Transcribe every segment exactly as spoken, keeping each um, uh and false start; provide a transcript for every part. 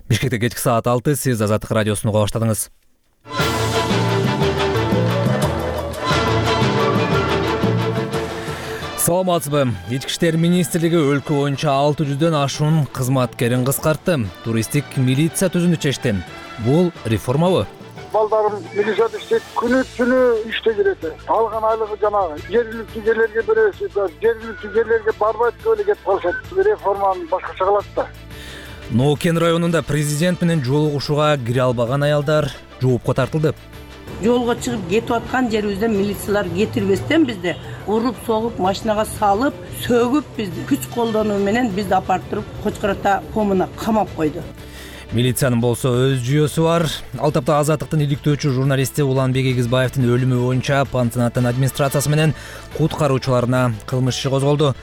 Бишкекте кечки саат алты, сиз Азаттык радиосун уга баштадыңыз. Саламатсызбы? Ички иштер министрлиги өлкө боюнча алты жүздөн ашуун кызматкерин кыскартты. Туристтик милиция түзүүнү чечти. Бул реформабы? Балдарым милицияда иштейт, күнү түнү иштей берет. Алган айлыгы жанагы жергиликтүү жерлерге беребиз, жергиликтүү жерлерге барбайт деп эле кетип калышат. Реформаны башкача кылат да. Нокен районунда президент менен жолугушууга кире албаган аялдар жоопко тартылды. Жолго чыгып кетип аткан жерибизде милициялар кетирбестен бизди уруп, согуп, машинага салып, сөгүп бизди күч колдонуу менен бизди апарып туруп Кочкората комуна камап койду. Милициянын болсо өз жүйөсү бар. Ал тапта Азаттыктын иликтөөчү журналисти Уланбек Эгизбаевдин өлүмү боюнча пансионаттын администрациясы менен куткаруучуларына кылмыш иши козголду.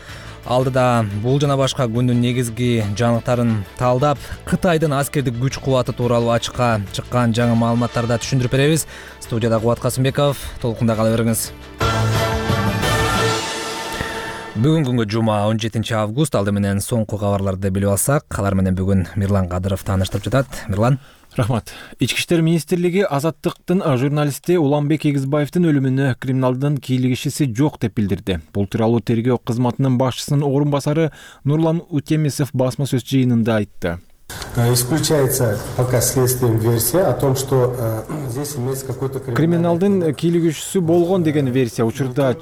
Алдыда бул жана башка күндүн негизги жаңылыктарын талдап, Кытайдын аскердик күч кубаты тууралуу ачыкка чыккан жаңы маалыматтарды түшүндүрүп беребиз. Студияда Кубат Касымбеков, толкунда кала бериңиз. Бүгүн күнгө жума он жетинчи август, алды менен соңку кабарларды билип алсак, алар менен бүгүн Мирлан Кадыров тааныштырып жатат. Мирлан. Рахмат. Ички иштер министрлиги Азаттыктын журналисти Уланбек Эгизбаевдин өлүмүнө криминалдын кийлигишиси жок деп билдирди. Бул тууралуу тергөө кызматынын башчысынын орун басары Нурлан Утемисов басма сөз жыйынында айтты. Исключается пока следствием версия о том, что здесь имеется какой-то криминалдын кийлигишүүсү болгон деген версия учурда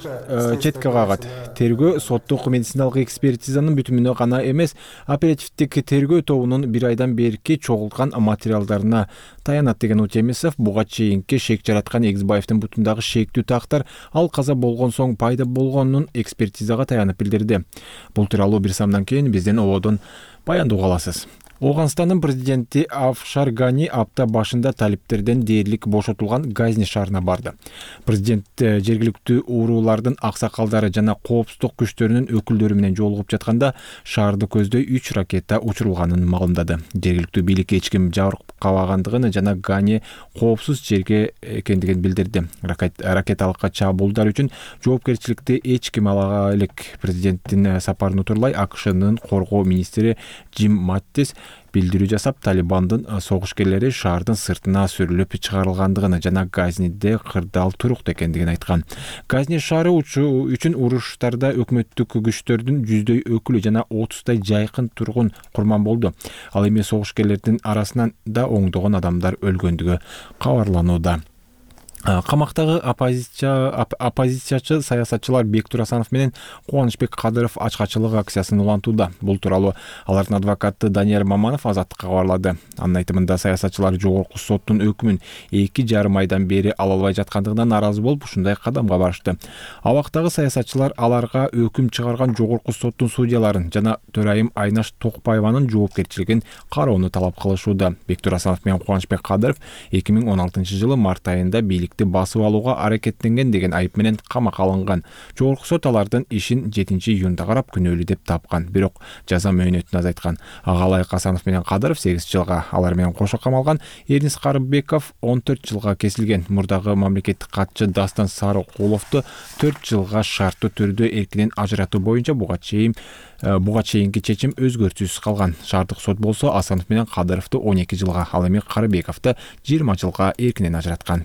четке кагат. Тергөө соттук медициналык экспертизанын бүтүмүнө гана эмес, оперативдик тергөө тобунун бир айдан берки чогулткан материалдарына таянат деген Утемисов буга чейинки шек жараткан Эгизбаевдин бутундагы шектүү тактар ал каза болгон соң пайда болгонун экспертизага таянып билдирди. Бул тууралуу бир самдан кийин биздин ободон баяндоо аласыз. Ооганстандын президенти Афшар Гани апта башында талиптерден дээрлик бошотулган Газни шаарына барды. Президент жергиликтүү уруулардын аксакалдары жана коопсуздук күчтөрүнүн өкүлдөрү менен жолугуп жатканда шаарды көздөй үч ракета учурулганын маалымдады. Жергиликтүү бийлик эч ким жабыркабагандыгын жана Гани коопсуз жерге экендигин билдирди. Ракеталык чабуулдар үчүн жоопкерчиликти эч ким ала элек. Президенттин сапарын утурлай АКШнын коргоо министри Джим Маттис билдирүү жасап, Талибандын согушкерлери шаардын сыртына сүрүлүп чыгарылгандыгын жана Газниде кырдаал туруктуу экендигин айткан. Газни шаары үчүн уруштарда өкмөттүк күчтөрдүн жүздөй өкүлү жана отуздай жайкын тургун курман болду. Ал эми согушкерлердин арасынан да оңдогон адамдар өлгөндүгү кабарланууда. Камактагы оппозиция оппозициячы саясатчылар Бектур Асанов менен Кубанычбек Кадыров ачкачылык акциясын улантууда. Бул тууралуу алардын адвокаты Данияр Маманов Азаттыкка кабарлады. Анын айтымында саясатчылар жогорку соттун өкүмүн эки жарым айдан бери ала албай жаткандыгынан наразы болуп, ушундай кадамга барышты. Абактагы саясатчылар аларга өкүм чыгарган жогорку соттун судьяларын жана төрайым Айнаш Токпаеванын жоопкерчилигин кароону талап кылышууда. Бектур Асанов менен Кубанычбек Кадыров эки миң он алтынчы жылы март айында бийлик басып алууга аракеттенген деген айып менен камакка алынган. Жогорку сот алардын ишин жетинчи июнда карап күнөөлүү деп тапкан, бирок жаза мөөнөтүн азайткан. Агалай Касанов менен Кадыров сегиз жылга, алар менен кошо камалган Эрнис Карыбеков он төрт жылга кесилген. Мурдагы мамлекеттик катчы Дастан Сарыкуловду төрт жылга шарттуу түрдө эркинен ажыратуу боюнча буга чейин буга чейинки чечим өзгөртүүсүз калган. Шаардык сот болсо Асанов менен Кадыровду он эки жылга, ал эми Карыбековду жыйырма жылга эркинен ажыраткан.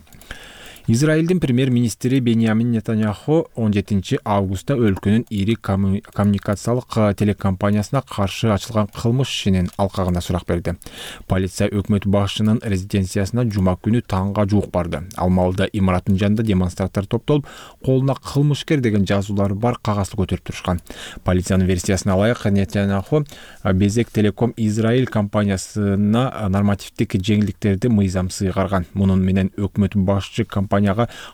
Израилдин премьер-министри Беньямин Нетаньяху он жетинчи августта өлкөнүн ири коммуникациялык телекомпаниясына каршы ачылган кылмыш ишинин алкагына сурак берди. Полиция өкмөт башчынын резиденциясына жума күнү таңга жуук барды. Ал маалда имараттын жанында демонстранттар топтолуп, колуна кылмышкер деген жазуулары бар кагазды көтөрүп турушкан. Полициянын версиясына ылайык, Нетаньяху Безек Телеком Израиль компаниясына нормативдик жеңилдиктерди мыйзам сыйгарган. Мунун менен өкмөт башчы компанияга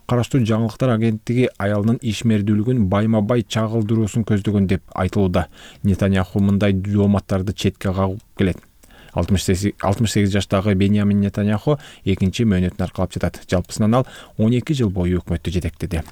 караштуу жаңылыктар агенттиги аялынын ишмердүүлүгүн байма-бай чагылдыруусун көздөгөн деп айтылууда. Нетаньяху мындай жооматтарды четке кагып келет. алтымыш сегиз жаштагы Беньямин Нетаньяху экинчи мөөнөтүн аркалап жатат. Жалпысынан ал он эки жыл бою өкмөттү жетектеди.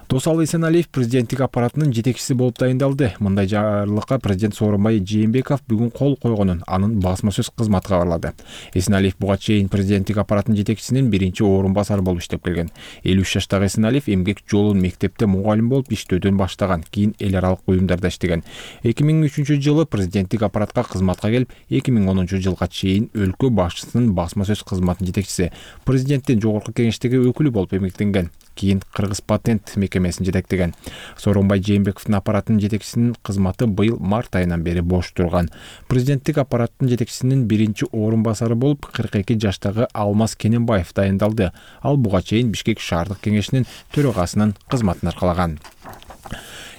Досалы Эсеналиев президенттик аппаратынын жетекчиси болуп дайындалды. Мындай жарлыкка президент Сооронбай Жээнбеков бүгүн кол койгонун анын басма сөз кызматы кабарлады. Эсеналиев буга чейин президенттик аппараттын жетекчисинин биринчи орун басары болуп иштеп келген. элүү үч жаштагы Эсеналиев эмгек жолун мектепте мугалим болуп иштөөдөн баштаган, кийин эл аралык уюмдарда иштеген. эки миң үчүнчү жылы президенттик аппаратка кызматка келип, эки миң онунчу тогузунчу жылга чейин өлкө башчысынын басма сөз кызматынын жетекчиси, президенттин жогорку кеңештеги өкүлү болуп эмгектенген. Кийин Кыргыз патент мекемесин жетектеген. Сооронбай Жээнбековдун аппаратынын жетекчисинин кызматы быйыл март айынан бери бош турган. Президенттик аппараттын жетекчисинин биринчи орун басары болуп кырк эки жаштагы Алмаз Кененбаев дайындалды. Ал буга чейин Бишкек шаардык кеңешинин төрагасынын кызматын аркалаган.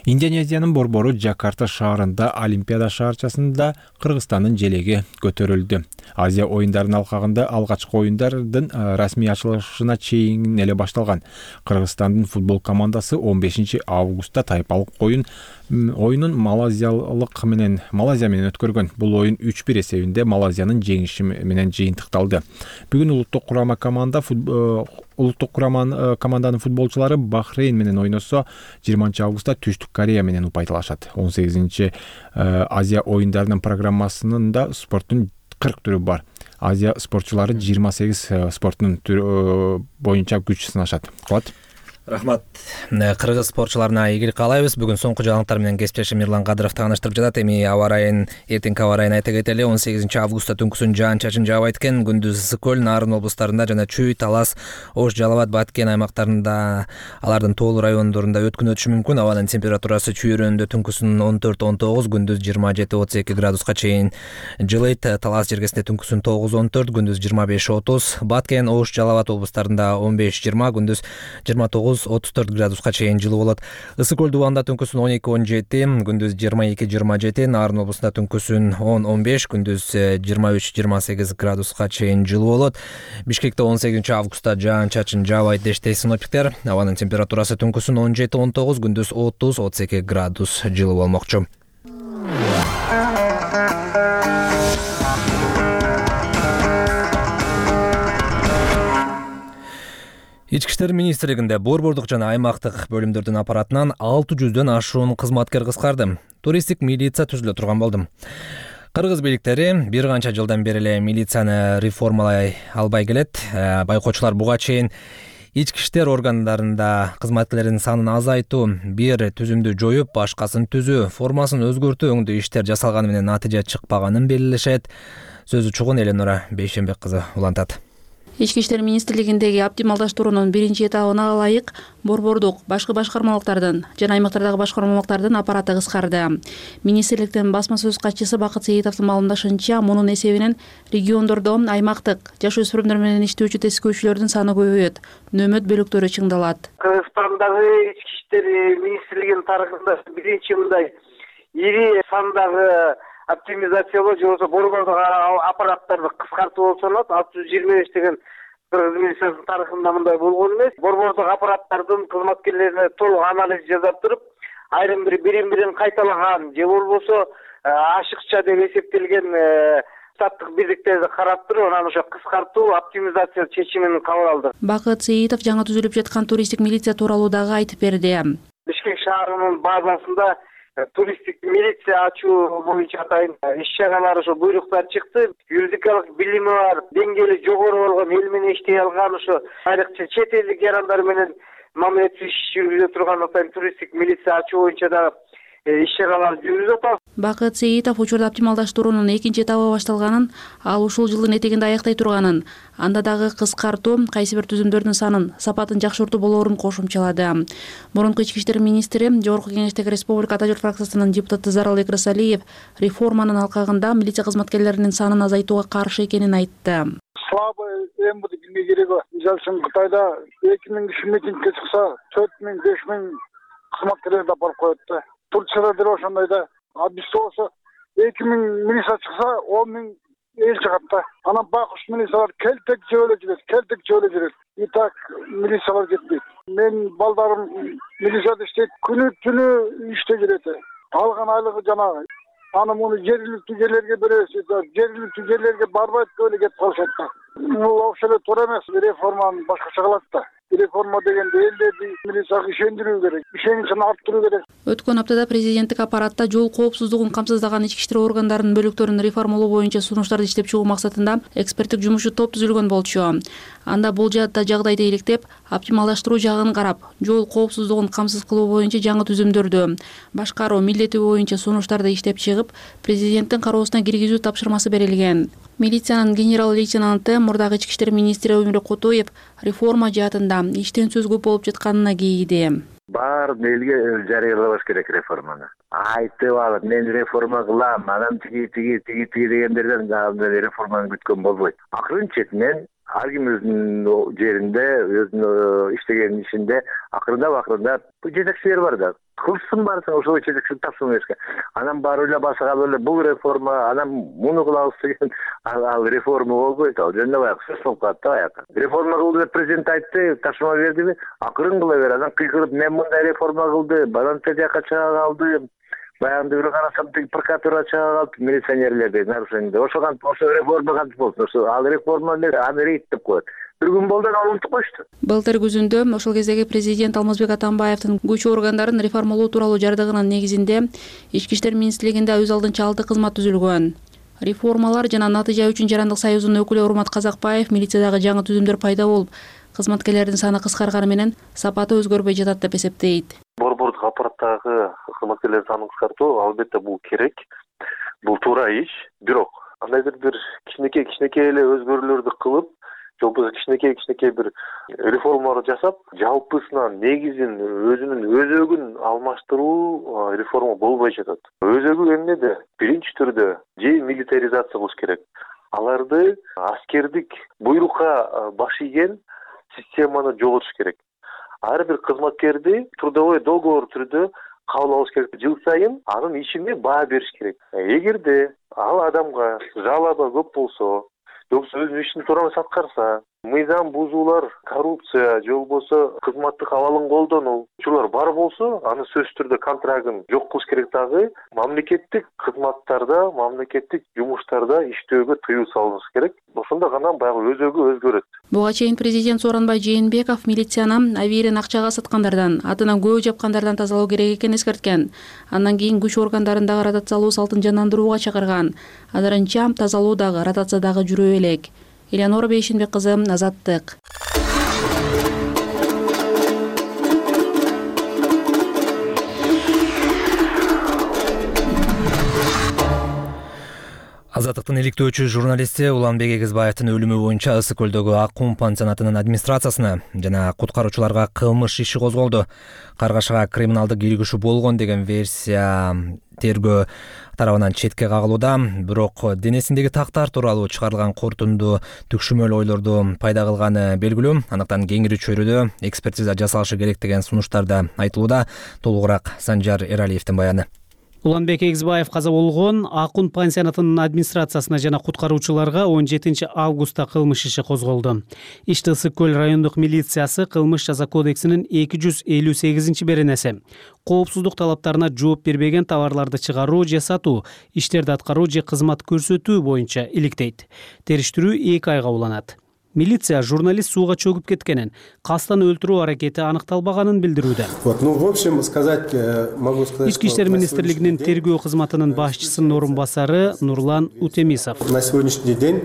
Индонезиянын борбору Жакарта шаарында Олимпиада шаарчасында Кыргызстандын желеги көтөрүлдү. Азия оюндарынын алкагында алгачкы оюндардын расмий ачылышына чейин эле башталган. Кыргызстандын футбол командасы он бешинчи августта тайпалык оюн оюнун Малайзиялык менен Малайзия менен өткөргөн. Бул оюн үч бир эсебинде Малайзиянын жеңиши менен жыйынтыкталды. Бүгүн улуттук курама команда улуттук кураманын команданын футболчулары Бахрейн менен ойносо, жыйырманчы августта Түштүк Корея менен упайталашат. он сегизинчи Азия оюндарынын программасында спорттун кырк түрү бар. Азия спортчулары жыйырма сегиз спорттун түрү боюнча күч сынашат. Кулат. Рахмат. Кыргыз спортчуларына ийгилик каалайбыз. Бүгүн соңку жаңылыктар менен кесиптешим Мирлан Кадыров тааныштырып жатат. Эми аба ырайын, эртеңки аба ырайын айта кетели. он сегизинчи августта түнкүсүн жаан-чачын жаабайт экен. Күндүз ысык көл, Нарын облустарында жана Чүй, Талас, Ош, Жалал абад, Баткен аймактарында, алардын тоолуу райондорунда өткүн өтүшү мүмкүн. Абанын температурасы Чүй районунда түнкүсүн он төрт он тогуз, күндүз жыйырма жети отуз эки градуска чейин жылыйт. Талас жергесинде түнкүсүн тогуз он төрт, күндүз жыйырма беш отуз. Баткен, Ош, Жалал абад облустарында он беш жыйырма, күндүз жыйырма тогуз отуз төрт градус чейин жылуу болот. Ысык көл дубанда түнкүсүн он эки он жети, күндүз жыйырма эки жыйырма жети, Нарын облусунда түнкүсүн он он беш, күндүз жыйырма үч жыйырма сегиз градуска чейин жылуу болот. Бишкекте он сегизинчи августта жаан-чачын жаабайт дешти синоптиктер. Абанын температурасы түнкүсүн он жети он тогуз, күндүз отуз отуз эки градус жылуу болмокчу. Ички иштер министрлигинде борбордук жана аймактык бөлүмдөрдүн аппаратынан алты жүздөн ашуун кызматкер кыскарды. Туристтик милиция түзүлө турган болду. Кыргыз бийликтери бир канча жылдан бери эле милицияны реформалай албай келет. Байкоочулар буга чейин ички иштер органдарында кызматкерлердин санын азайтуу, бир түзүмдү жоюп, башкасын түзүү, формасын өзгөртүү өңдүү иштер жасалганы менен натыйжа чыкпаганын белгилешет. Сөзү чугун Эленора Бейшенбек кызы улантат. Ички иштер министрлигиндеги оптималдаштыруунун биринчи этабына ылайык борбордук башкы башкармалыктардын жана аймактардагы башкармалыктардын аппараты кыскарды. Министрликтин басма сөз катчысы Бакыт Сейитовдун маалымдашынча, мунун эсебинен региондордо аймактык жаш өспүрүмдөр менен иштөөчү тескөөчүлөрдүн саны көбөйөт, нөөмөт бөлүктөрү чыңдалат. Кыргызстандагы ички иштер министрлигинин тарыхында биринчи мындай ири сандагы оптимизациялоо же болбосо борбордук аппараттарды кыскартуу болуп саналат. алты жүз жыйырма беш деген Кыргыз милициясынын тарыхында мындай болгон эмес. Борбордук аппараттардын кызматкерлерине толук анализ жасап туруп, айрым бир бирин бирин кайталаган же болбосо ашыкча деп эсептелген штаттык биздиктерди карап туруп, анан ошо кыскартуу, оптимизация чечимин кабыл алды. Бакыт Сейитов жаңы түзүлүп жаткан туристтик милиция тууралуу дагы айтып берди. Бишкек шаарынын базасында туристтик милиция ачуу боюнча атайын иш-чаралар, ошо буйруктар чыкты. Юридикалык билими бар, деңгээли жогору болгон, эл менен иштей алган, ошо айрыкча чет элдик жарандар менен мамилет иш жүргүзө турган атайын туристтик милиция ачуу боюнча да иш-чаралар жүргүзүп атабыз. Бакыт Сейитов учурда оптималдаштыруунун экинчи этабы башталганын, ал ушул жылдын этегинде аяктай турганын, анда дагы кыскартуу, кайсы бир түзүмдөрдүн санын, сапатын жакшыртуу болоорун кошумчалады. Мурунку ички иштер министри, жогорку кеңештеги республика Ата журт фракциясынын депутаты Заралбек Рысалиев реформанын алкагында милиция кызматкерлеринин санын азайтууга каршы экенин айтты. Слабый эмди билмей кереги. Мисалы үчүн Кытайда эки миң киши митингге чыкса, төрт миң беш миң кызматкерлерди алып коет да. Турцияда деле ошондой да. А бизде болсо эки миң милиция чыкса, он миң эл чыгат да. Анан байкуш милициялар келтек жөөлө жүрөт, келтек жөөлө жүрөт. И так милициялар кетпейт. Мен балдарым милицияда иштейт, күнү түнү иштей жүрөт. Алган айлыгы жанагы. Аны муну жергиликтүү жерлерге беребиз, жергиликтүү жерлерге барбайт, эле кетип калышат да. Бул ошол эле туура эмес, реформаны башкача кылат да. Реформа дегенде элдерди милицияга ишендирүү керек, ишеничин арттыруу керек. Өткөн аптада президенттик аппаратта жол коопсуздугун камсыздаган ички иштер органдарынын бөлүктөрүн реформалоо боюнча сунуштарды иштеп чыгуу максатында эксперттик жумушчу топ түзүлгөн болчу. Анда бул жаатта жагдайды иликтеп, оптималдаштыруу жагын карап, жол коопсуздугун камсыз кылуу боюнча жаңы түзүмдөрдү башкаруу милдети боюнча сунуштарды иштеп чыгып, президенттин кароосуна киргизүү тапшырмасы берилген. Милициянын генерал-лейтенанты, мурдагы ички иштер министри Өмүрөк Кутуев реформа жаатында иштен сөз көп болуп жатканына кейиди. Баарын элге жарыялабаш керек реформаны. Айтып алып, мен реформа кылам, анан тиги тиги тиги тиги дегендерден реформаны күткөн болбойт. Акырын четинен ар ким өзүнүн жеринде, өзүнүн иштеген ишинде акырындап акырындап жетекчилер бар да. Кылсын барсын, ошол жетекчилик тапшырма беришке. Анан бар эле башка эле бул реформа, анан муну кылабыз деген ал реформа болбойт. Ал жөнүндө баягы сөз болуп калат да баягы. Реформа кылды деп президент айтты, тапшырма бердиби? Акырын кыла бер. Анан кыйкырып, мен мындай реформа кылды, баланча жака чыга калдым. Баягында бир карасам тиги прокуратура чыга калып, милиционерлерди нарушение. Ошо кантип, ошо реформа кантип болсун? Ошо ал реформа эле аны рейд деп коет. Бир күн болду, ал унутуп коюшту. Былтыр күзүндө ошол кездеги президент Алмазбек Атамбаевдин күч органдарын реформалоо тууралуу жардыгынын негизинде ички иштер министрлигинде өз алдынча алты кызмат түзүлгөн. Реформалар жана натыйжа үчүн жарандык союзунун өкүлү Урмат Казакбаев милициядагы жаңы түзүмдөр пайда болуп, кызматкерлердин саны кыскарганы менен сапаты өзгөрбөй жатат деп эсептейт. Борбордук аппараттагы кызматкерлердин санын кыскартуу албетте бул керек. Бул туура иш. Бирок кандайдыр бир кичинекей кичинекей эле өзгөрүүлөрдү кылып, же болбосо кичинекей кичинекей бир реформалар жасап, жалпысынан негизин өзүнүн өзөгүн алмаштыруу реформа болбой жатат. Өзөгү эмнеде? Биринчи түрдө же милитаризация кылыш керек. Аларды аскердик буйрукка баш ийген системаны жоготуш керек. Ар бир кызматкерди трудовой договор түрдө кабыл алыш керек. Жыл сайын анын ишине баа бериш керек. Эгерде ал адамга жалаба көп болсо, жоксо өз ишин туура эмес аткарса, мыйзам бузуулар, коррупция, же болбосо кызматтык абалын колдонуу учурлар бар болсо, аны сөзсүз түрдө контрагын жок кылыш керек. Дагы мамлекеттик кызматтарда, мамлекеттик жумуштарда иштөөгө тыюу салыныш керек. Ошондо гана баягы өзөгү өзгөрөт. Буга чейин президент Сооронбай Жээнбеков милицияны авирин акчага саткандардан, атынан көө жапкандардан тазалоо керек экенин эскерткен. Андан кийин күч органдарындагы ротациялоо салтын жандандырууга чакырган. Азырынча тазалоо дагы, ротация дагы жүрө элек. Элеонора Бейшенбек кызы, Азаттык. Азаттыктын иликтөөчү журналисти Уланбек Эгизбаевдин өлүмү боюнча Ысык көлдөгү Ак Кум пансионатынын администрациясына жана куткаруучуларга кылмыш иши козголду. Каргашага криминалдык илигишүү болгон деген версия тергөө тарабынан четке кагылууда. Бирок денесиндеги тактар тууралуу чыгарылган корутунду түкшүмөл ойлорду пайда кылганы белгилүү. Анықтан кеңири чөйрөдө экспертиза жасалышы керек деген сунуштар да айтылууда. Толугураак Санжар Эралиевдин баяны. Уланбек Эгизбаев каза болгон Ак Кум пансионатынын администрациясына жана куткаруучуларга он жетинчи августта кылмыш иши козголду. Ишти Ысык көл райондук милициясы кылмыш жаза кодексинин эки жүз элүү сегизинчи беренеси коопсуздук талаптарына жооп бербеген товарларды чыгаруу же сатуу, иштерди аткаруу же кызмат көрсөтүү боюнча иликтейт. Териштирүү эки айга уланат. Милиция журналист сууга чөгүп кеткенин, кастан өлтүрүү аракети аныкталбаганын билдирүүдө. Вот, ну, в общем, сказать, могу сказать, Ички иштер министрлигинин тергөө кызматынын башчысынын орун басары Нурлан Утемисов. На сегодняшний день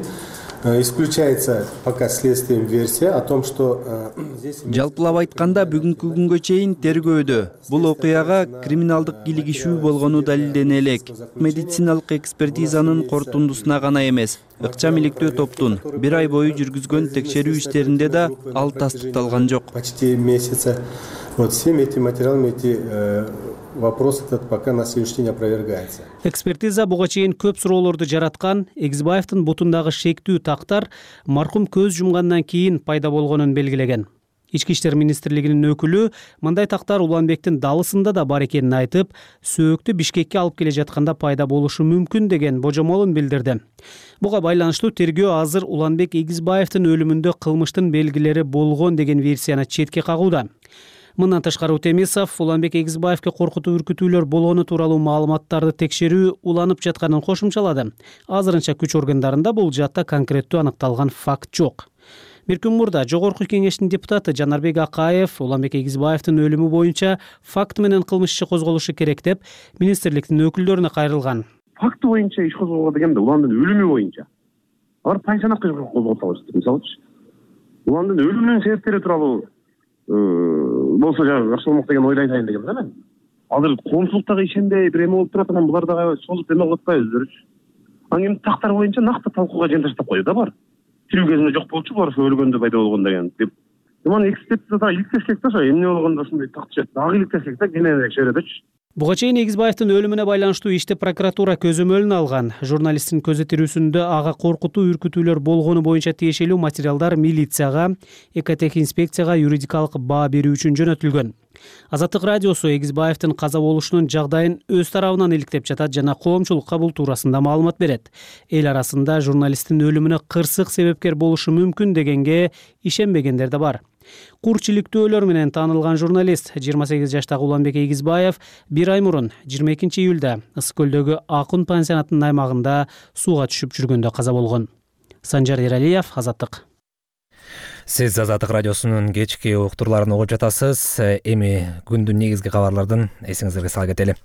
исключается пока следствием версия о том, что здесь... Жалпылап айтканда бүгүнкү күнгө чейин тергөөдө бул окуяга криминалдык илигишүү болгону далилдене элек. Медициналык экспертизанын корутундусуна гана эмес, ыкчам иликтөө топтун бир ай бою жүргүзгөн текшерүү иштеринде да ал тастыкталган жок. Почти месяца. Вот всеми этими материалами эти э, вопрос этот пока на сегодняшний день опровергается. Экспертиза буга чейин көп суроолорду жараткан. Эгизбаевдин бутундагы шектүү тактар маркум көз жумгандан кийин пайда болгонун белгилеген. Ички иштер министрлигинин өкүлү мындай тактар Уланбектин далысында да бар экенин айтып, сөөктү Бишкекке алып келе жатканда пайда болушу мүмкүн деген божомолун билдирди. Буга байланыштуу тергөө азыр Уланбек Эгизбаевдин өлүмүндө кылмыштын белгилери болгон деген версияны четке кагууда. Мындан тышкары Утемисов Уланбек Эгизбаевге коркутуу үркүтүүлөр болгону тууралуу маалыматтарды текшерүү уланып жатканын кошумчалады. Азырынча күч органдарында бул жаатта конкреттүү аныкталган факт жок. бир күн мурда Жогорку Кеңештин депутаты Жанарбек Акаев Уланбек Эгизбаевдин өлүмү боюнча факт менен кылмыш иши козголушу керек деп министрликтин өкүлдөрүнө кайрылган. Факты боюнча иш козголгон дегенде уландын өлүмү боюнча алар пансионатка козголуп алышты. Мисалычы уландын өлүмүнүн себептери тууралуу болсо жана жакшы болмок деген ойду айтайын дегем да мен. Азыр коомчулуктагы ишенбей бир эме болуп турат, анан булар дагы созуп эме кылып атпайбы өздөрүчү. Анан эми тактар боюнча накты талкууга жен таштап койду да бар. Тирүү кезинде жок болчу, булар ошо өлгөндө пайда болгон деген деп. Мына экспертиза дагы иликтешек да, ошо эмне болгондо ушундай такчы дагы иликтешек да, кененирээк чөйрөдөчү. Буга чейин Эгизбаевдин өлүмүнө байланыштуу ишти прокуратура көзөмөлүнө алган. Журналисттин көзөтүрүүсүндө ага коркутуу, үркүтүүлөр болгону боюнча тиешелүү материалдар милицияга, экотехинспекцияга юридикалык баа берүү үчүн жөнөтүлгөн. Азаттык радиосу Эгизбаевдин каза болушунун жагдайын өз тарабынан иликтеп жатат жана коомчулукка бул туурасында маалымат берет. Эл арасында журналисттин өлүмүнө кырсык себепкер болушу мүмкүн дегенге ишенбегендер да бар. Курч иликтөөлөр менен таанылган журналист жыйырма сегиз жаштагы Уланбек Эгизбаев бир ай мурун жыйырма экинчи июлда Ысык көлдөгү Акун пансионатынын аймагында сууга түшүп жүргөндө каза болгон. Санжар Эралиев, Азаттык. Сиз Азаттык радиосунун кечки уктурларын угуп жатасыз. Эми күндүн негизги кабарлардын эсиңиздерге сала кетели.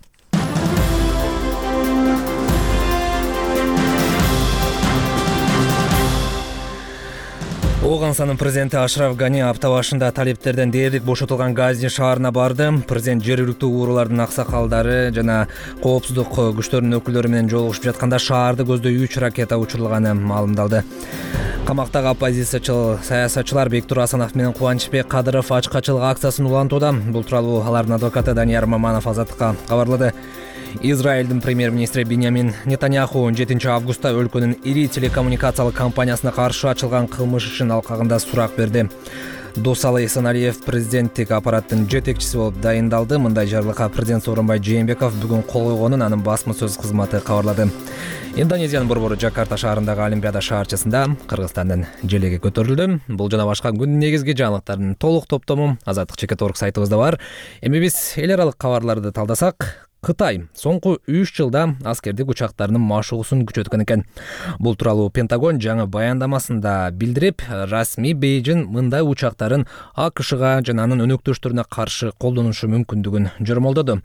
Оганстанын президенти Ашраф Гани апта башында талептерден дээрлик бошотулган Гази шаарына барды. Президент жергиликтүү уруулардын аксакалдары жана коопсуздук күчтөрүнүн өкүлдөрү менен жолугушуп жатканда шаарды көздөй үч ракета учурулганы маалымдалды. Камактагы оппозициячыл саясатчылар Бектур Асанов менен Кубанычбек Кадыров ачкачылык акциясын улантууда. Бул тууралуу алардын адвокаты Данияр Маманов Азаттыкка кабарлады. Израилдин премьер-министри Биньямин Нетаньяху он жетинчи августта өлкөнүн ири телекоммуникациялык компаниясына каршы ачылган кылмыш ишин алкагында сурак берди. Досалы Эсеналиев президенттик аппараттын жетекчиси болуп дайындалды. Мындай жарлыкка президент Сооронбай Жээнбеков бүгүн кол койгонун анын басма сөз кызматы кабарлады. Индонезиянын борбору Жакарта шаарындагы Олимпиада шаарчасында Кыргызстандын желеги көтөрүлдү. Бул жана башка күндүн негизги жаңылыктарынын толук топтому Азаттык чекит орг сайтыбызда бар. Эми биз эл аралык кабарларды талдасак, Кытай соңку үч жылда аскердик учактарынын машыгуусун күчөткөн экен. Бул тууралуу Пентагон жаңы баяндамасында билдирип, расмий Бейжин мындай учактарын АКШга жана анын өнөктөштөрүнө каршы колдонушу мүмкүндүгүн жормолдоду.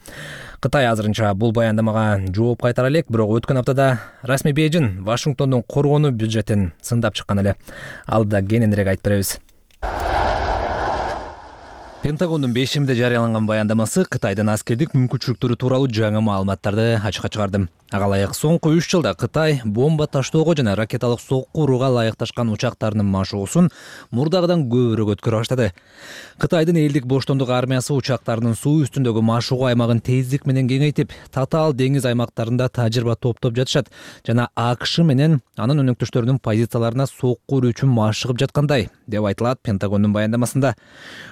Кытай азырынча бул баяндамага жооп кайтара элек, бирок өткөн аптада расмий Бейжин Вашингтондун коргонуу бюджетин сындап чыккан эле. Алда кененирээк айтып беребиз. Пентагондун бешимде жарыяланган баяндамасы Кытайдын аскердик мүмкүнчүлүктөрү тууралуу жаңы маалыматтарды ачыкка чыгарды. Ага ылайык соңку үч жылда Кытай бомба таштоого жана ракеталык сокку урууга ылайыкташкан учактарынын машыгуусун мурдагыдан көбүрөөк өткөрө баштады. Кытайдын элдик боштондук армиясы учактарынын суу үстүндөгү машыгуу аймагын тездик менен кеңейтип, татаал деңиз аймактарында тажрыйба топтоп жатышат жана АКШ менен анын өнөктөштөрүнүн позицияларына сокку уруу үчүн машыгып жаткандай деп айтылат Пентагондун баяндамасында.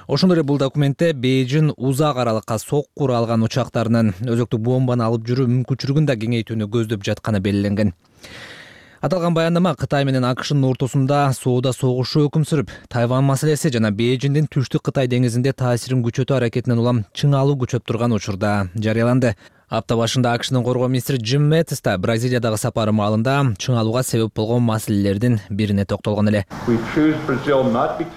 Ошондой эле бул документте Бейжин узак аралыкка сокку уруу алган учактарынын өзөктүк бомбаны алып жүрүү мүмкүнчүлүгүн да кеңейтүүнү көздөп жатканы белгиленген. Аталган баяндама Кытай менен АКШнын ортосунда соода согушу өкүм сүрүп, Тайвань маселеси жана Бейжиндин түштүк Кытай деңизинде таасирин күчөтүү аракетинен улам чыңалуу күчөп турган учурда жарыяланды. Апта башында АКШнын коргоо министри Джим Мэттис да Бразилиядагы сапары маалында чыңалууга себеп болгон маселелердин бирине токтолгон эле.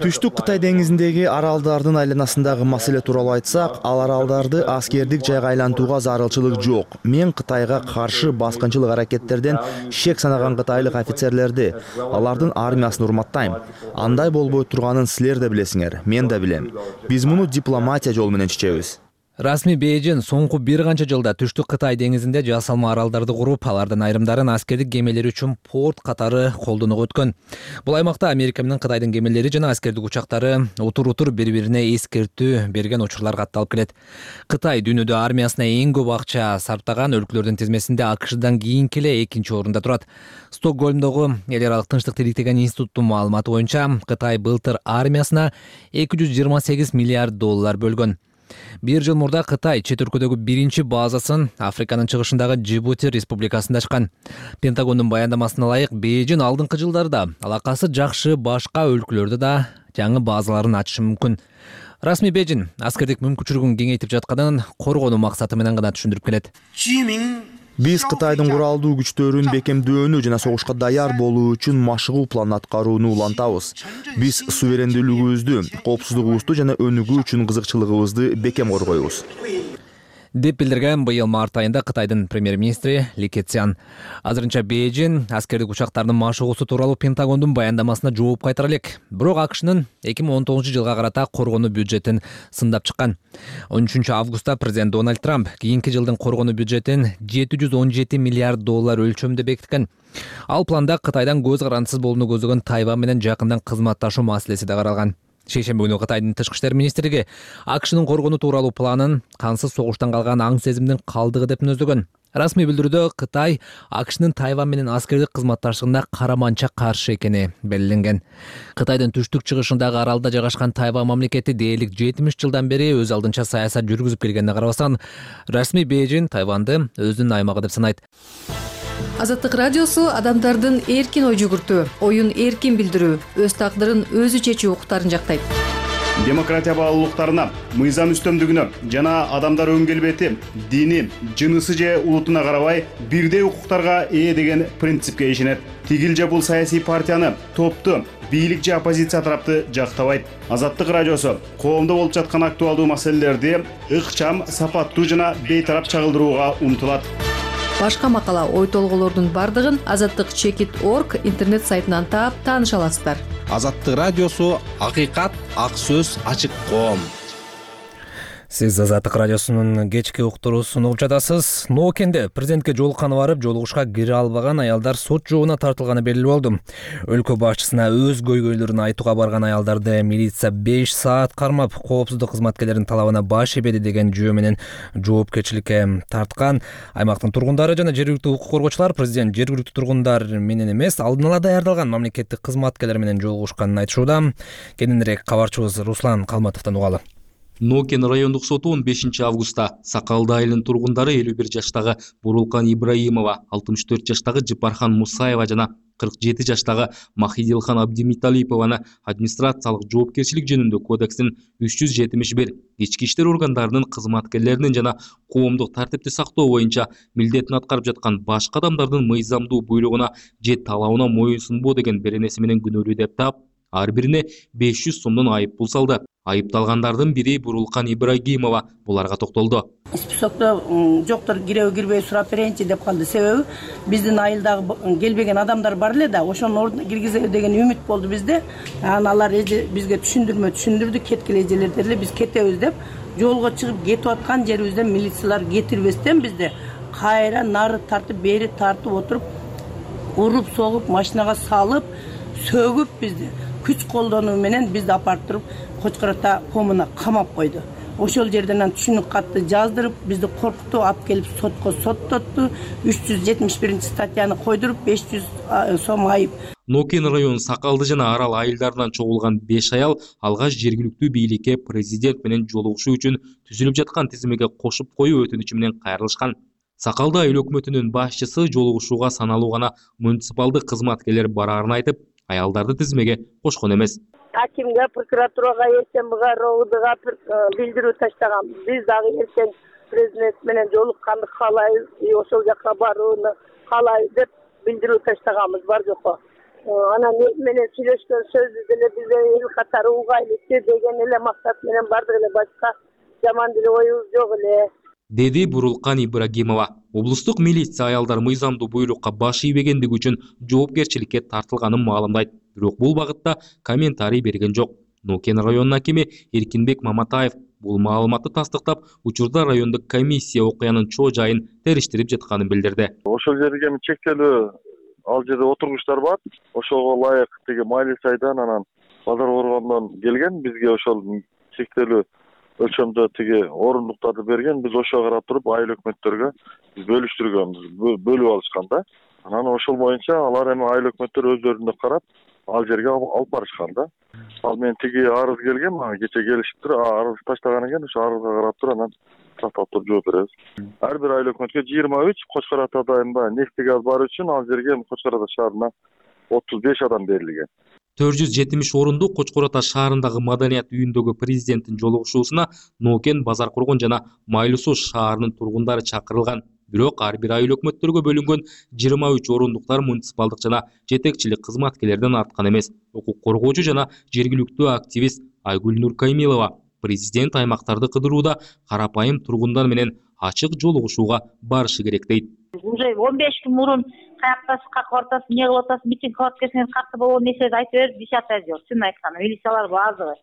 Түштүк Кытай деңизиндеги аралдардын айланасындагы маселе тууралуу айтсак, ал аралдарды аскердик жайга айлантууга зарылчылык жок. Мен Кытайга каршы баскынчылык аракеттерден шек санаган кытайлык офицерлерди, алардын армиясын урматтайм. Андай болбой турганын силер да билесиңер, мен да билем. Биз муну дипломатия жолу менен чечебиз. Расмий Бейжин соңку бир канча жылда түштүк Кытай деңизинде жасалма аралдарды куруп, алардын айрымдарын аскердик кемелери үчүн порт катары колдонууга өткөн. Бул аймакта Америка менен Кытайдын кемелери жана аскердик учактары утур-утур бири-бирине эскертүү берген учурлар катталып келет. Кытай дүйнөдө армиясына эң көп акча сарптаган өлкөлөрдүн тизмесинде АКШдан кийинки эле экинчи орунда турат. Стокгольмдогу эл аралык тынчтык тиликтеген институттун маалыматы боюнча Кытай былтыр армиясына эки жүз жыйырма сегиз миллиард доллар бөлгөн. Бир жыл мурда Кытай чет өлкөдөгү биринчи базасын Африканын чыгышындагы Джибути республикасында ачкан. Пентагондун баяндамасына ылайык, Бейжин алдыңкы жылдарда алакасы жакшы башка өлкөлөрдө да жаңы базаларын ачышы мүмкүн. Расмий Бейжин аскердик мүмкүнчүлүгүн кеңейтип жатканын коргонуу максаты менен гана түшүндүрүп келет. Биз Кытайдын куралдуу күчтөрүн бекемдөөнү жана согушка даяр болуу үчүн машыгуу планын аткарууну улантабыз. Биз суверендүүлүгүбүздү, коопсуздугубузду жана өнүгүү үчүн кызыкчылыгыбызды бекем коргойбуз, деп билдирген быйыл март айында Кытайдын премьер-министри Ли Кэцян. Азырынча Бейжин аскердик учактардын машыгуусу тууралуу Пентагондун баяндамасына жооп кайтара элек. Бирок АКШнын эки миң он тогузунчу жылга карата коргонуу бюджетин сындап чыккан. он үчүнчү августта президент Дональд Трамп кийинки жылдын коргонуу бюджетин жети жүз он жети миллиард доллар өлчөмдө бекиткен. Ал планда Кытайдан көз карандысыз болууну көздөгөн Тайвань менен жакындан кызматташуу маселеси да каралган. Шейшембе күнү Кытайдын тышкы иштер министрлиги АКШнын коргонуу тууралуу планын кансыз согуштан калган аң сезимдин калдыгы деп мүнөздөгөн. Расмий билдирүүдө Кытай АКШнын Тайвань менен аскердик кызматташтыгына караманча каршы экени белгиленген. Кытайдын түштүк чыгышындагы аралда жайгашкан Тайвань мамлекети дээрлик жетимиш жылдан бери өз алдынча саясат жүргүзүп келгенине карабастан, расмий Бейжин Тайваньды өзүнүн аймагы деп санайт. Азаттык радиосу адамдардын эркин ой жүгүртүү, оюн эркин билдирүү, өз тагдырын өзү чечүү укуктарын жактайт. Демократия баалуулуктарына, мыйзам үстөмдүгүнө жана адамдар өң келбети, дини, жынысы же улутуна карабай бирдей укуктарга ээ деген принципке ишенет. Тигил же бул саясий партияны, топту, бийлик же оппозиция тарапты жактабайт. Азаттык радиосу коомдо болуп жаткан актуалдуу маселелерди ыкчам, сапаттуу жана бейтарап чагылдырууга умтулат. Башка макала, ой толголордун бардыгын азаттык чекит точка орг интернет сайтынан таап тааныша аласыздар. Азаттык радиосу акыйкат, ак сөз, ачык коом. Сиз Азаттык радиосунун кечки уктуруусун угуп жатасыз. Ноокенде президентке жолукканы барып, жолугушка кире албаган аялдар сот жообуна тартылганы белгилүү болду. Өлкө башчысына өз көйгөйлөрүн айтууга барган аялдарды милиция беш саат кармап, коопсуздук кызматкерлеринин талабына баш ийбеди деген жөө менен жоопкерчиликке тарткан. Аймактын тургундары жана жергиликтүү укук коргоочулар президент жергиликтүү тургундар менен эмес, алдын ала даярдалган мамлекеттик кызматкерлер менен жолугушканын айтышууда. Кененирээк кабарчыбыз Руслан Калматовдон угалы. Нокен райондук соту он бешинчи августта Сакалды айылынын тургундары элүү бир жаштагы Бурулкан Ибраимова, алтымыш төрт жаштагы Жыпархан Мусаева жана кырк жети жаштагы Махидилхан Абдимиталипованы администрациялык жоопкерчилик жөнүндө кодекстин үч жүз жетимиш бир ички иштер органдарынын кызматкерлеринин жана коомдук тартипти сактоо боюнча милдетин аткарып жаткан башка адамдардын мыйзамдуу буйругуна же талабына моюнсунбоо деген беренеси менен күнөөлүү деп таап, ар бирине беш жүз сомдон айып пул салды. Айыпталгандардын бири Бурулкан Ибрагимова буларга токтолду. Списокто жоктор киребей кирбей сурап берейинчи деп калды. Себеби биздин айылдагы келбеген адамдар бар эле да, ошонун ордуна киргизебиз деген үмүт болду бизде. Анан алар бизге түшүндүрмө түшүндүрдү, кеткиле эжелер деле биз кетебиз деп жолго чыгып кетип аткан жерибизден милициялар кетирбестен бизде кайра нары тартып, бери тартып отуруп, уруп, согуп, машинага салып, сөгүп бизди күч колдонуу менен бизди апарып туруп Кочкор ата комуна камап койду. Ошол жерден анан түшүнүк катты жаздырып, бизди коркутуп алып келип сотко соттотту. үч жүз жетимиш биринчи статьяны койдуруп, беш жүз сом айып. Нокен району Сакалды жана Арал айылдарынан чогулган беш аял алгач жергиликтүү бийликке президент менен жолугушуу үчүн түзүлүп жаткан тизимеге кошуп коюу өтүнүчү менен кайрылышкан. Сакалды айыл өкмөтүнүн башчысы жолугушууга саналуу гана муниципалдык кызматкерлер бараарын айтып, аялдарды тизимеге кошкон эмес. Акимге, прокуратурага, СМБга, РОУДга билдирүү таштаган. Биз дагы эртең президент менен жолукканды каалайбыз, ошол жака барууну каалайбыз деп билдирүү таштаганбыз, бар жокко. Анан эл менен сүйлөшкөн сөзү деле бизге эл катары угайлыкчы деген эле максат менен бардык эле, башка жаман деле оюбуз жок эле. Деди Бурулкан Ибрагимова. Облустук милиция аялдар мыйзамдуу буйрукка баш ийбегендиги үчүн жоопкерчиликке тартылганын маалымдайт. Бирок бул багытта комментарий берген жок. Нокен районунун акими Эркинбек Маматаев бул маалыматты тастыктап, учурда райондук комиссия окуянын чоо жайын териштирип жатканын билдирди. Ошол жерге чектелүү ал жерде отургучтар бар. Ошого ылайык тиги Майли сайдан анан Базар Боргондон келген, бизге ошол чектелүү өлчөмдө тиги орундуктарды берген, биз ошого карап туруп айыл өкмөттөргө биз бөлүштүргөнбүз, бөлүп алышкан да. Анан ошол боюнча алар эми айыл өкмөттөр өздөрүнө карап ал жерге алып барышкан да. Ал мен тиги арыз келген, мага кече келишип туруп, арыз таштаган экен, ошо арызга карап туруп анан тактап туруп жооп беребиз. Ар бир айыл өкмөткө жыйырма үч, Кочкор ата дайында нефти газ бар үчүн ал жерге Кочкор ата шаарына отуз беш адам берилген. төрт жүз жетимиш орунду Кочкор ата шаарындагы маданият үйүндөгү президенттин жолугушуусуна Нокен, Базар Коргон жана Майлуу Суу шаарынын тургундары чакырылган. Бирок ар бир айыл өкмөттөргө бөлүнгөн жыйырма үч орундуктар муниципалдык жана жетекчилик кызматкерлерден арткан эмес. Укук коргоочу жана жергиликтүү активист Айгүл Нуркаймилова президент аймактарды кыдырууда карапайым тургундар менен ачык жолугушууга барышы керек дейт. Уже он беш күн мурун каяктасыз, как атасыз, эмне кылып атасыз, митинг кылып аткенсиңер катты болгон нерселерди айтып берип, десятый отдел, чын айтканда, милициялар баазы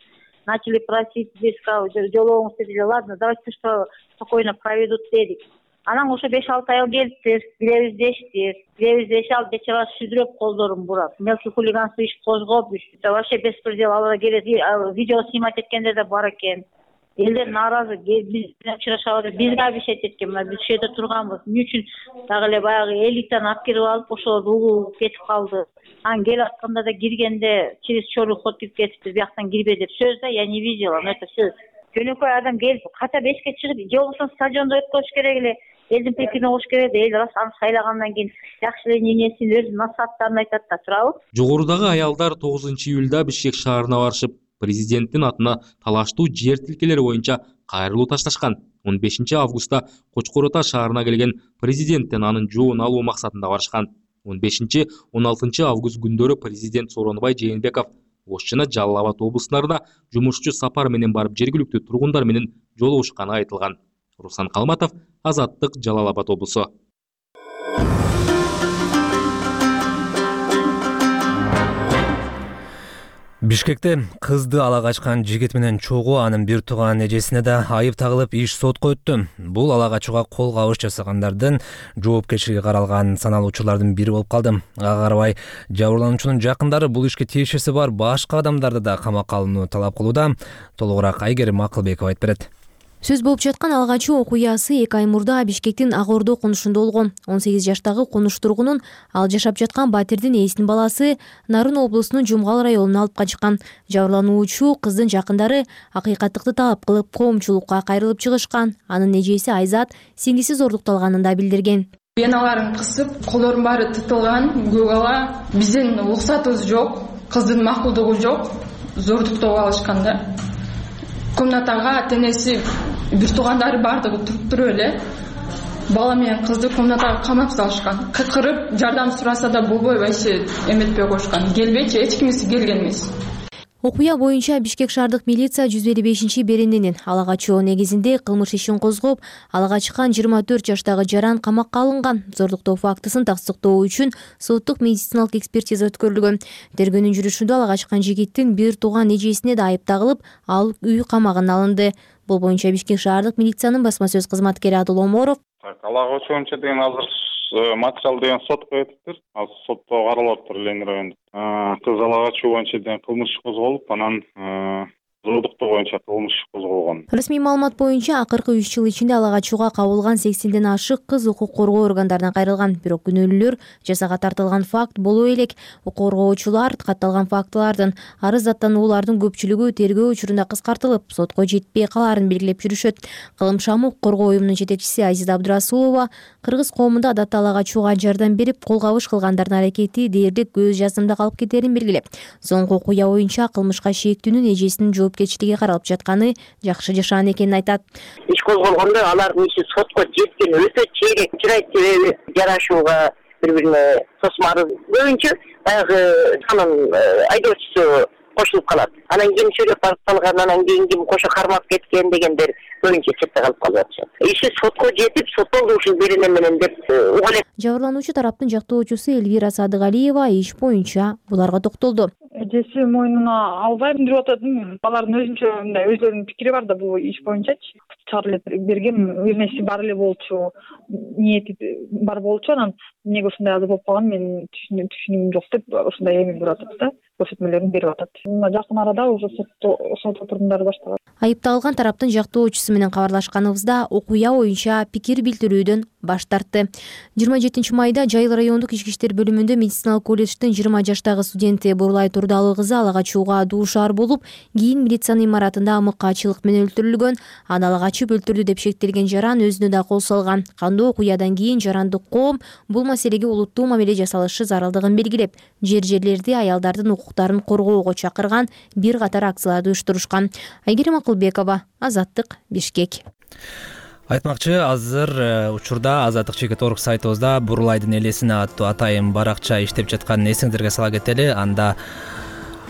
начали просить, здесь жолугуңуз дедилер, ладно, давайте что спокойно проведут дедик. Анан ошо беш алты айыл келиптир, билебиз дештир, билебиз деши алып бечара сүзүрөп колдорун бурап, мелкий хулиганство иш козгоп, вообще беспредел алар келет, видео снимать эткендер да бар экен. Элдер нааразы, биз учурашабыз, бизге обещать эткен, мына биз ушул жерде турганбыз. Эмне үчүн дагы эле баягы элитаны алып кирип алып, ошолорду угуп кетип калды. Анан келип атканда да киргенде через черный ход кирип кетиптир, бияктан кирбе деп сөз да, я не видела, но это сөз. Жөнөкөй адам келип, ката бешке чыгып, же болбосо стадиондо өткөрүш керек эле, элдин пикирин угуш керек эле, эл рас аны сайлагандан кийин жакшы эле эмнесин өз насааттарын айтат да турабы. Жогорудагы аялдар тогузунчу июлда Бишкек шаарына барышып, президенттин атына талаштуу жер тилкелери боюнча кайрылуу ташташкан. он бешинчи августта Кочкор Ата шаарына келген президенттен анын жоон алуу максатында барышкан. он бешинчи он алтынчы август күндөрү президент Сооронбай Жээнбеков Ош жана Жалал Абад облустарына жумушчу сапар менен барып жергиликтүү тургундар менен жолугушканы айтылган. Руслан Калматов, Азаттык, Жалал Абад облусу. Бишкекте кызды ала качкан жигит менен чогуу анын бир тууган эжесине да айып тагылып иш сотко өттү. Бул ала качууга кол кабыш жасагандардын жоопкерчилиги каралган саналуу учурлардын бири болуп калды. Ага карабай жабырлануучунун жакындары бул ишке тиешеси бар башка адамдарды да камакка алууну талап кылууда. Толугураак Айгерим Акылбекова айтып берет. Сөз болуп жаткан ала качуу окуясы эки ай мурда Бишкектин Ак Ордо конушунда болгон. он сегиз жаштагы конуш тургунун ал жашап жаткан батирдин ээсинин баласы Нарын облусунун Жумгал районуна алып качкан. Жабырлануучу кыздын жакындары акыйкаттыкты талап кылып коомчулукка кайрылып чыгышкан. Анын эжеси Айзат сиңдиси зордукталганын да билдирген. Веналарын кысып, колдорун баары тытылган, көк ала. Биздин уруксатыбыз жок, кыздын макулдугу жок, зордуктоп алышкан да. Комнатага тенеси бир туугандары бардыгы туруп туруп эле бала менен кызды комнатага камап салышкан. Кыркырып жардам сураса да болбой вообще эметпей коюшкан. Келбейчи, эч кимиси келген эмес. Окуя боюнча Бишкек шаардык милиция жүз элүү бешинчи берененин ала качуу негизинде кылмыш ишин козгоп, ала качкан жыйырма төрт жаштагы жаран камакка алынган. Зордуктоо фактысын тастыктоо үчүн соттук медициналык экспертиза өткөрүлгөн. Тергөөнүн жүрүшүндө ала качкан жигиттин бир тууган эжесине да айып тагылып, ал үй камагына алынды. Бул боюнча Бишкек шаардык милициянын басма сөз кызматкери Адыл Оморов. Ала качуу боюнча деген азыр материал деген сотко өтүптүр. Ал сотто каралып атыптыр Ленин районунда. Кыз ала качуу боюнча деген кылмыш козголуп, анан зордуктоо боюнча кылмыш козголгон. Расмий маалымат боюнча акыркы үч жыл ичинде ала качууга кабылган сексенден ашык кыз укук коргоо органдарынан кайрылган. Бирок күнөөлүүлөр жазага тартылган факт боло элек. Укук коргоочулар катталган фактылардын арыз аттануулардын көпчүлүгү тергөө учурунда кыскартылып, сотко жетпей калаарын белгилеп жүрүшөт. Кылым шамы укук коргоо уюмунун жетекчиси Азиза Абдырасулова кыргыз коомунда адатта ала качууга жардам берип, кол кабыш кылгандардын аракети дээрлик көз жазымда калып кетерин белгилеп, соңку окуя боюнча кылмышка шектүүнүн эжесинин жоопкерчилиги каралып жатканы жакшы жашаан экенин айтат. Иш козголгондо алардын иши сотко жеткен өтө чейрек чырайт себеби жарашууга бири-бирине тосмарыз боюнча баягы анын айдоочусу кошулуп калат. Анан ким сүйлөп барып калган, анан кийин ким кошо кармап кеткен дегендер боюнча четте калып калып атышат. Иши сотко жетип, соттолду ушул берене менен деп угат. Жабырлануучу тараптын жактоочусу Элвира Садыгалиева иш боюнча буларга токтолду. Эжеси мойнуна албайм деп атат. Балардын өзүнчө мындай өздөрүнүн пикири бар да бул иш боюнчачы. Чарылып берген эмеси бар эле болчу, ниети бар болчу, анан эмнеге ушундай азыр болуп калган мен түшүнүм жок деп ушундай эми берип атат да. Көрсөтмөлөрүн берип атат. Жакын арада уже сотто сот отурумдары башталат. Айыпталган тараптын жактоочусу менен кабарлашканыбызда окуя боюнча пикир билдирүүдөн баш тартты. жыйырма жетинчи майда Жайыл райондук ички иштер бөлүмүндө медициналык колледждин жыйырма жаштагы студенти Бурлай Турдалы кызы ала качууга дуушар болуп, кийин милициянын имаратында амыккачылык менен өлтүрүлгөн. Аны ала качып өлтүрдү деп шектелген жаран өзүнө да кол салган. Кандуу окуядан кийин жарандык коом бул маселеге улуттуу мамиле жасалышы зарылдыгын белгилеп, жер жерлерди аялдардын укуктарын коргоого чакырган бир катар акцияларды уюштурушкан. Айгерим Акылбекова, Азаттык, Бишкек. Айтмакчы, азыр учурда Азаттык чекит точка орг сайтыбызда Бурулайдын элесине аттуу атайын баракча иштеп жатканын эсиңиздерге сала кетели. Анда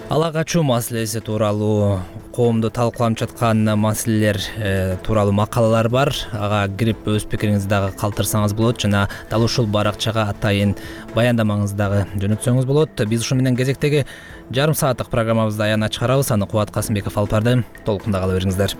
ала качуу маселеси тууралуу, коомду талкууланып жаткан маселелер тууралуу макалалар бар. Ага кирип өз пикириңизди дагы калтырсаңыз болот жана дал ушул баракчага атайын баяндамаңызды дагы жөнөтсөңүз болот. Биз ушу менен кезектеги жарым сааттык программабызды аягына чыгарабыз. Аны Кубат Касымбеков алып барды. Толкунда кала бериңиздер.